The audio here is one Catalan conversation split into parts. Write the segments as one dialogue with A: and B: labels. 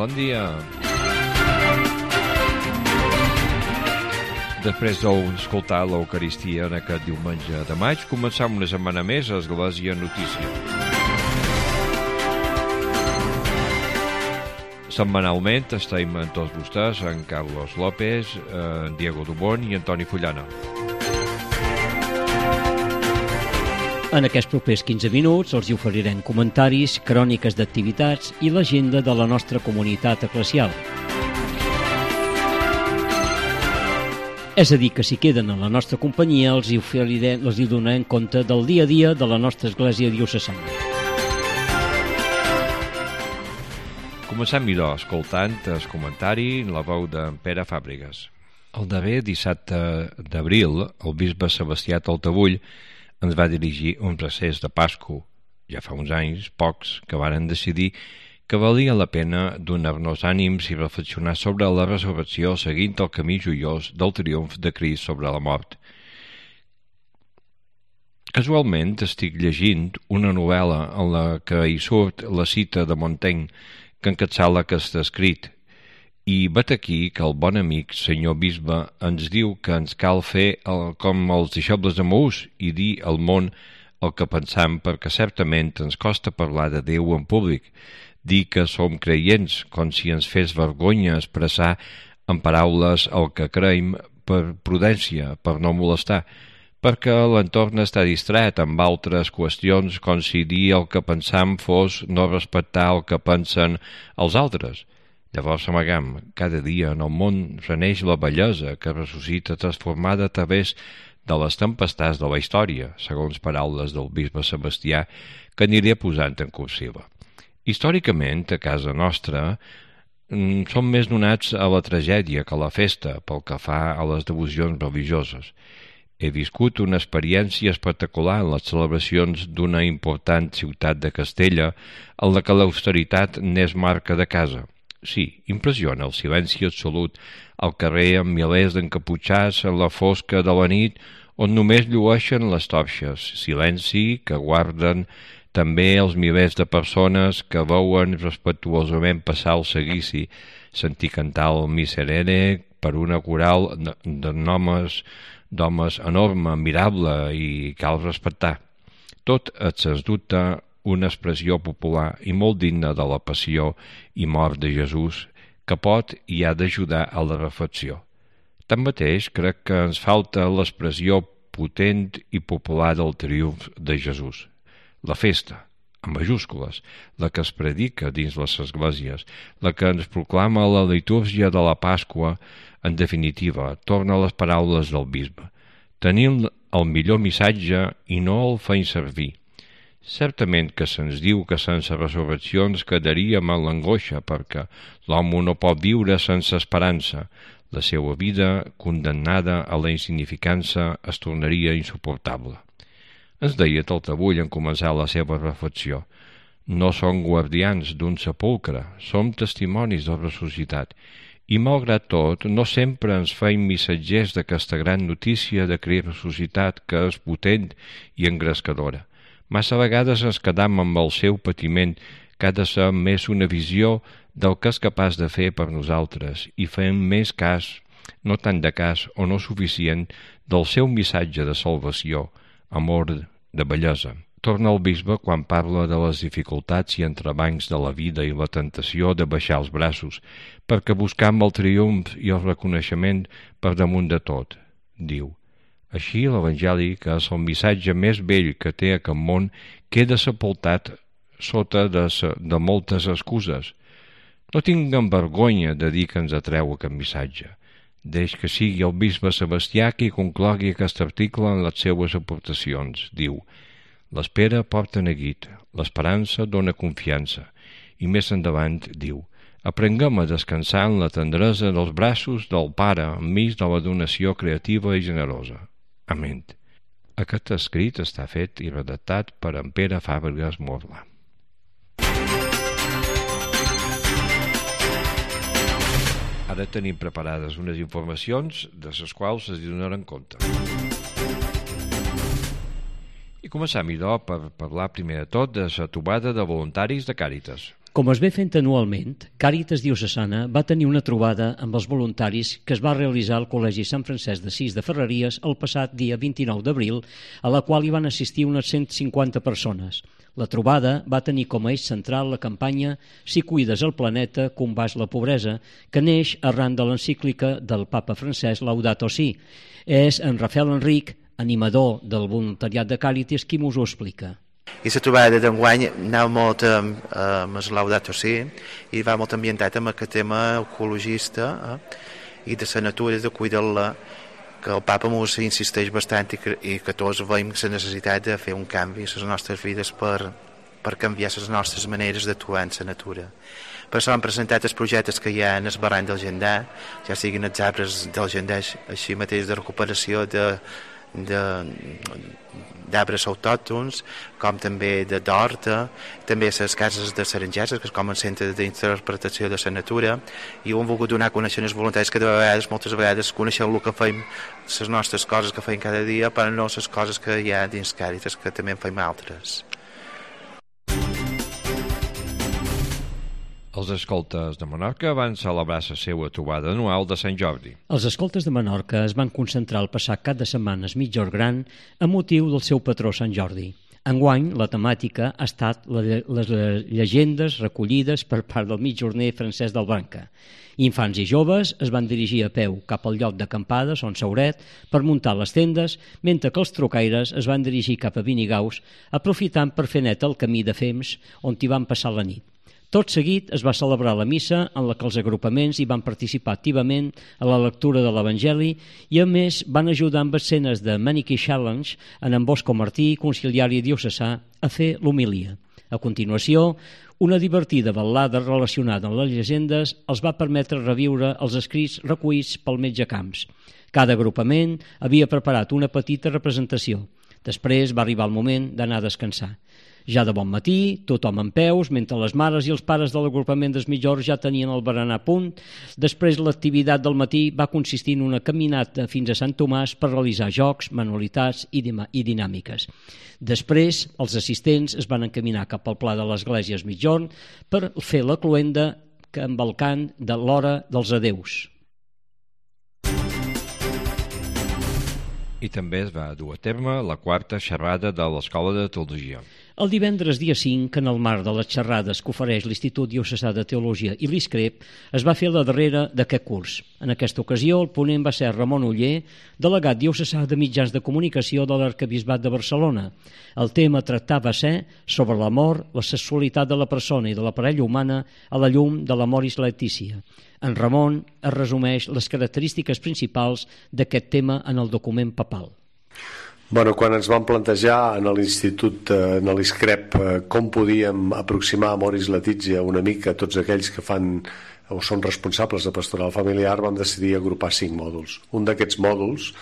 A: bon dia. Després d'escoltar l'Eucaristia en aquest diumenge de maig, començam una setmana més a Església Notícia. Setmanalment estem amb tots vostès, en Carlos López, en Diego Dubón i Antoni Fullana.
B: En aquests propers 15 minuts els hi oferirem comentaris, cròniques d'activitats i l'agenda de la nostra comunitat eclesial. És a dir, que si queden en la nostra companyia els hi donarem compte del dia a dia de la nostra església diocesana.
A: Comencem millor escoltant el comentari en la veu d'en Pere Fàbregas. El darrer dissabte d'abril, el bisbe Sebastià Taltabull ens va dirigir un recés de Pasco, ja fa uns anys, pocs, que varen decidir que valia la pena donar-nos ànims i reflexionar sobre la resurrecció seguint el camí joiós del triomf de Crist sobre la mort. Casualment estic llegint una novel·la en la que hi surt la cita de Montaigne que encapçala aquest escrit, i vet aquí que el bon amic, senyor bisbe, ens diu que ens cal fer com els deixebles de Maús i dir al món el que pensam, perquè certament ens costa parlar de Déu en públic, dir que som creients, com si ens fes vergonya expressar en paraules el que creiem per prudència, per no molestar, perquè l'entorn està distret amb altres qüestions, com si dir el que pensam fos no respectar el que pensen els altres. Llavors amagam, cada dia en el món reneix la bellesa que ressuscita transformada a través de les tempestats de la història, segons paraules del bisbe Sebastià, que aniré posant en cursiva. Històricament, a casa nostra, som més donats a la tragèdia que a la festa pel que fa a les devocions religioses. He viscut una experiència espectacular en les celebracions d'una important ciutat de Castella, en la que l'austeritat n'és marca de casa. Sí, impressiona el silenci absolut al carrer amb milers d'encaputxats en la fosca de la nit on només llueixen les torxes, silenci que guarden també els milers de persones que veuen respectuosament passar el seguici, sentir cantar el Miserere per una coral d'homes enorme, admirable i cal respectar. Tot és, sens dubte, una expressió popular i molt digna de la passió i mort de Jesús que pot i ha d'ajudar a la reflexió. Tanmateix, crec que ens falta l'expressió potent i popular del triomf de Jesús. La festa, en majúscules, la que es predica dins les esglésies, la que ens proclama la litúrgia de la Pasqua, en definitiva, torna a les paraules del bisbe. Tenim el millor missatge i no el feim servir. Certament que se'ns diu que sense resurrecció ens quedaríem en l'angoixa perquè l'home no pot viure sense esperança. La seva vida, condemnada a la insignificança, es tornaria insuportable. Ens deia Taltabull en començar la seva reflexió. No som guardians d'un sepulcre, som testimonis de ressuscitat. I malgrat tot, no sempre ens feim missatgers d'aquesta gran notícia de Crist ressuscitat que és potent i engrescadora. Massa vegades ens quedam amb el seu patiment, que ha de ser més una visió del que és capaç de fer per nosaltres i fem més cas, no tant de cas o no suficient, del seu missatge de salvació, amor de bellesa. Torna el bisbe quan parla de les dificultats i entrebancs de la vida i la tentació de baixar els braços, perquè buscam el triomf i el reconeixement per damunt de tot, diu. Així, l'Evangeli, que és el missatge més vell que té aquest món, queda sepultat sota de moltes excuses. No tinguem vergonya de dir que ens atreu aquest missatge. Deix que sigui el bisbe Sebastià qui conclogui aquest article en les seues aportacions. Diu, l'espera porta neguit, l'esperança dona confiança. I més endavant diu, aprenguem a descansar en la tendresa dels braços del Pare enmig de la donació creativa i generosa. Amén. Aquest escrit està fet i redactat per en Pere Fàbregas Morla. Ara tenim preparades unes informacions de les quals es donaran compte. I començam, idò, per parlar primer de tot de la trobada de voluntaris de Càritas.
B: Com es ve fent anualment, Càritas Diocesana va tenir una trobada amb els voluntaris que es va realitzar al Col·legi Sant Francesc d'Assís de Ferreries el passat dia 29 d'abril, a la qual hi van assistir unes 150 persones. La trobada va tenir com a eix central la campanya Si cuides el planeta, combats la pobresa, que neix arran de l'encíclica del papa francès Laudato Si. És en Rafael Enric, animador del voluntariat de Càritas, qui m'ho explica.
C: I la trobada d'enguany anava molt amb el Laudato Si i va molt ambientat amb aquest tema ecologista i de la natura, de cuidar-la, que el papa ens insisteix bastant i que tots veiem la necessitat de fer un canvi a les nostres vides per canviar les nostres maneres d'actuar en la natura. Per això han presentat els projectes que hi ha en el barranc del Gendà, ja siguin els arbres del Gendà, així mateix de recuperació d'arbres autòctons, com també d'horta, també les cases de Sarangeses, que és com un centre d'interpretació de la natura, i ho hem volgut donar a conèixer als voluntaris que moltes vegades coneixem el que fem, les nostres coses que fem cada dia, però no les coses que hi ha dins Càritas, que també en fem altres.
A: Els escoltes de Menorca van celebrar la seva trobada anual de Sant Jordi.
B: Els escoltes de Menorca es van concentrar el passat cap de setmana a Migjorn Gran a motiu del seu patró Sant Jordi. Enguany, la temàtica ha estat les llegendes recollides per part del mitjorner Francesc del Branca. Infants i joves es van dirigir a peu cap al lloc d'acampada, Son Sauret, per muntar les tendes, mentre que els trocaires es van dirigir cap a Vinigaus, aprofitant per fer net el camí de Fems, on hi van passar la nit. Tot seguit es va celebrar la missa en la que els agrupaments hi van participar activament a la lectura de l'Evangeli i a més van ajudar amb escenes de Maniquí Challenge en Bosco Martí, conciliari diocesà, a fer l'homilia. A continuació, una divertida ballada relacionada amb les llegendes els va permetre reviure els escrits recollits pel metge Camps. Cada agrupament havia preparat una petita representació. Després va arribar el moment d'anar a descansar. Ja de bon matí, tothom en peus, mentre les mares i els pares de l'agrupament des Migjorn ja tenien el berenar a punt. Després l'activitat del matí va consistir en una caminata fins a Sant Tomàs per realitzar jocs, manualitats i dinàmiques. Després, els assistents es van encaminar cap al pla de l'església Migjorn per fer la cloenda amb el cant de l'hora dels adeus.
A: I també es va dur a terme la quarta xerrada de l'Escola de Teologia.
B: El divendres dia 5, en el marc de les xerrades que ofereix l'Institut Diocesà de Teologia i l'ISCREP, es va fer la darrera d'aquest curs. En aquesta ocasió, el ponent va ser Ramon Oller, delegat diocesà de mitjans de comunicació de l'Arquebisbat de Barcelona. El tema tractava ser sobre l'amor, la sexualitat de la persona i de la parella humana a la llum de l'Amoris Laetitia. En Ramon es resumeix les característiques principals d'aquest tema en el document papal.
D: Quan ens vam plantejar en l'Institut, en l'ISCREP, com podíem aproximar Amoris Laetitia una mica a tots aquells que fan o són responsables de pastoral familiar, vam decidir agrupar 5 mòduls. Un d'aquests mòduls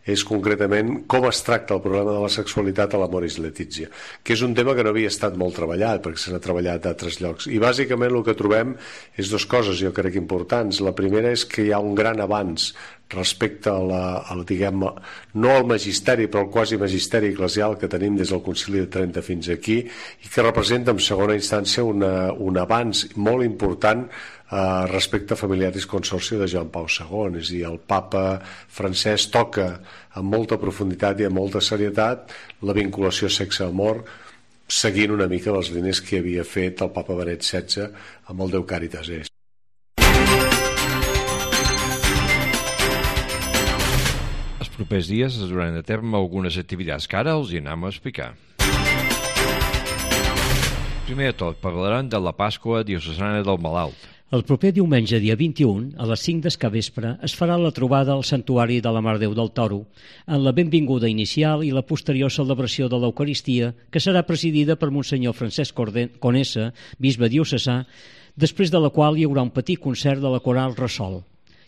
D: és concretament com es tracta el problema de la sexualitat a l'Amoris Laetitia, que és un tema que no havia estat molt treballat, perquè se n'ha treballat a altres llocs. I bàsicament el que trobem és 2 coses, jo crec, importants. La primera és que hi ha un gran avanç respecte a diguem, no al magisteri, però al quasi magisteri eclesial que tenim des del Concili de Trenta fins aquí, i que representa en segona instància un avanç molt important respecte a Familiaris Consortio de Joan Pau II. És a dir, el papa francès toca amb molta profunditat i amb molta serietat la vinculació sexe-amor, seguint una mica les línies que havia fet el papa Benet XVI amb el Deu Caritas Est.
A: Els propers dies es duran a terme algunes activitats que ara els hi anem a explicar. Primer de tot, parlaran de la Pasqua Diocesana del Malalt.
B: El proper diumenge, dia 21, a les 5 del capvespre, es farà la trobada al Santuari de la Mare de Déu del Toro, en la benvinguda inicial i la posterior celebració de l'Eucaristia, que serà presidida per Monsenyor Francesc Conesa, bisbe diocesà, després de la qual hi haurà un petit concert de la coral Ressol.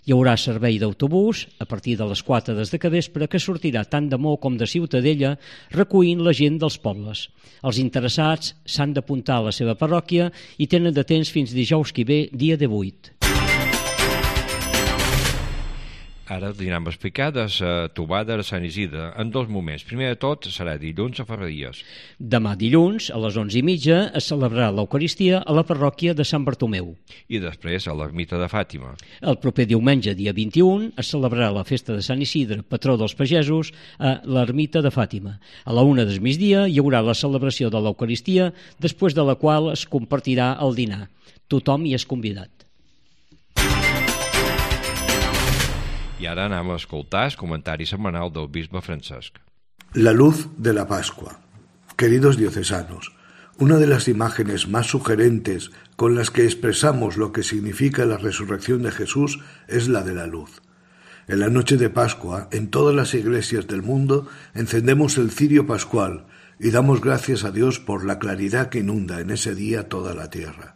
B: Hi haurà servei d'autobús a partir de les 4 des de capvespre que sortirà tant de Mó com de Ciutadella recollint la gent dels pobles. Els interessats s'han d'apuntar a la seva parròquia i tenen de temps fins dijous que ve, dia 18.
A: Ara anirem a explicar de la trobada de Sant Isidre en 2 moments. Primer de tot serà dilluns a Ferreries.
B: Demà dilluns, a les 11:30, es celebrarà l'Eucaristia a la parròquia de Sant Bartomeu.
A: I després a l'ermita de Fàtima.
B: El proper diumenge, dia 21, es celebrarà la festa de Sant Isidre, patró dels pagesos, a l'ermita de Fàtima. A la 1 del migdia hi haurà la celebració de l'Eucaristia, després de la qual es compartirà el dinar. Tothom hi és convidat.
A: I ara anem a escoltar el comentari setmanal del bisbe Francesc.
E: La luz de la Pascua. Queridos diocesanos, una de las imágenes más sugerentes con las que expresamos lo que significa la resurrección de Jesús es la de la luz. En la noche de Pascua, en todas las iglesias del mundo, encendemos el cirio pascual y damos gracias a Dios por la claridad que inunda en ese día toda la tierra.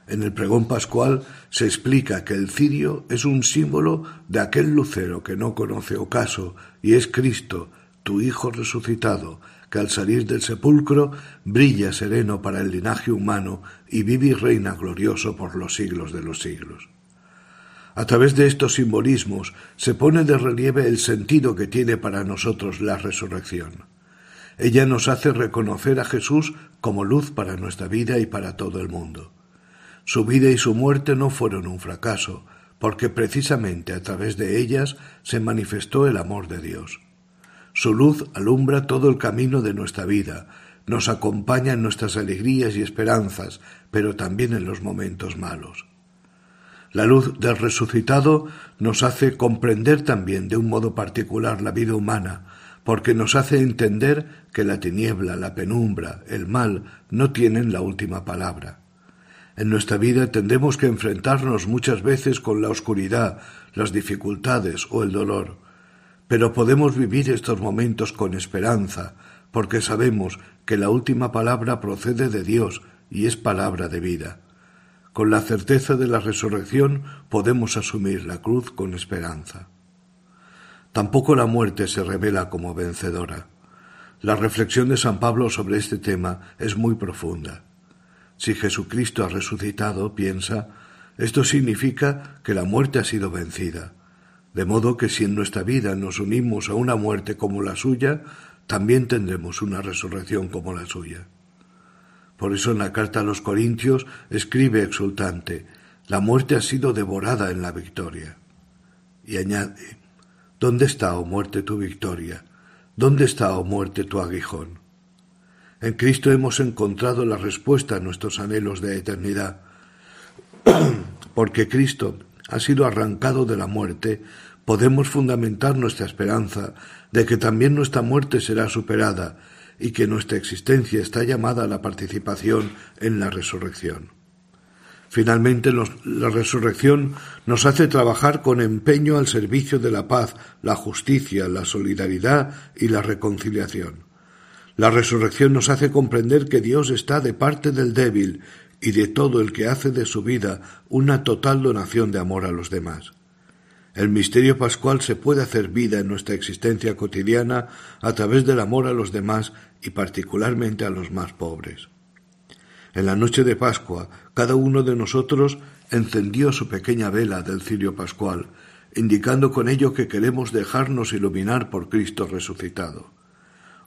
E: En el pregón pascual se explica que el cirio es un símbolo de aquel lucero que no conoce ocaso y es Cristo, tu Hijo resucitado, que al salir del sepulcro brilla sereno para el linaje humano y vive y reina glorioso por los siglos de los siglos. A través de estos simbolismos se pone de relieve el sentido que tiene para nosotros la resurrección. Ella nos hace reconocer a Jesús como luz para nuestra vida y para todo el mundo. Su vida y su muerte no fueron un fracaso, porque precisamente a través de ellas se manifestó el amor de Dios. Su luz alumbra todo el camino de nuestra vida, nos acompaña en nuestras alegrías y esperanzas, pero también en los momentos malos. La luz del resucitado nos hace comprender también de un modo particular la vida humana, porque nos hace entender que la tiniebla, la penumbra, el mal no tienen la última palabra. En nuestra vida tendremos que enfrentarnos muchas veces con la oscuridad, las dificultades o el dolor, pero podemos vivir estos momentos con esperanza, porque sabemos que la última palabra procede de Dios y es palabra de vida. Con la certeza de la resurrección podemos asumir la cruz con esperanza. Tampoco la muerte se revela como vencedora. La reflexión de San Pablo sobre este tema es muy profunda. Si Jesucristo ha resucitado, piensa, esto significa que la muerte ha sido vencida. De modo que si en nuestra vida nos unimos a una muerte como la suya, también tendremos una resurrección como la suya. Por eso en la carta a los Corintios escribe exultante, la muerte ha sido devorada en la victoria. Y añade, ¿dónde está, oh muerte, tu victoria? ¿Dónde está, oh muerte, tu aguijón? En Cristo hemos encontrado la respuesta a nuestros anhelos de eternidad. Porque Cristo ha sido arrancado de la muerte, podemos fundamentar nuestra esperanza de que también nuestra muerte será superada y que nuestra existencia está llamada a la participación en la resurrección. Finalmente, la resurrección nos hace trabajar con empeño al servicio de la paz, la justicia, la solidaridad y la reconciliación. La resurrección nos hace comprender que Dios está de parte del débil y de todo el que hace de su vida una total donación de amor a los demás. El misterio pascual se puede hacer vida en nuestra existencia cotidiana a través del amor a los demás y particularmente a los más pobres. En la noche de Pascua, cada uno de nosotros encendió su pequeña vela del cirio pascual, indicando con ello que queremos dejarnos iluminar por Cristo resucitado.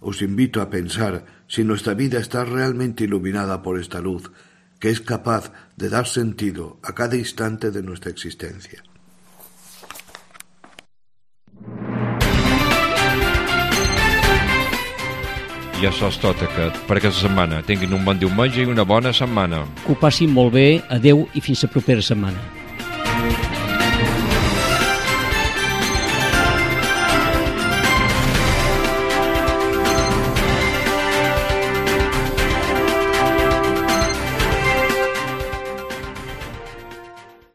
E: Os invito a pensar si nuestra vida está realmente iluminada por esta luz, que es capaz de dar sentido a cada instante de nuestra existencia.
A: I això és tot per aquesta setmana. Tinguin un bon diumenge i una bona setmana.
B: Que ho passin molt bé, adeu i fins la propera setmana.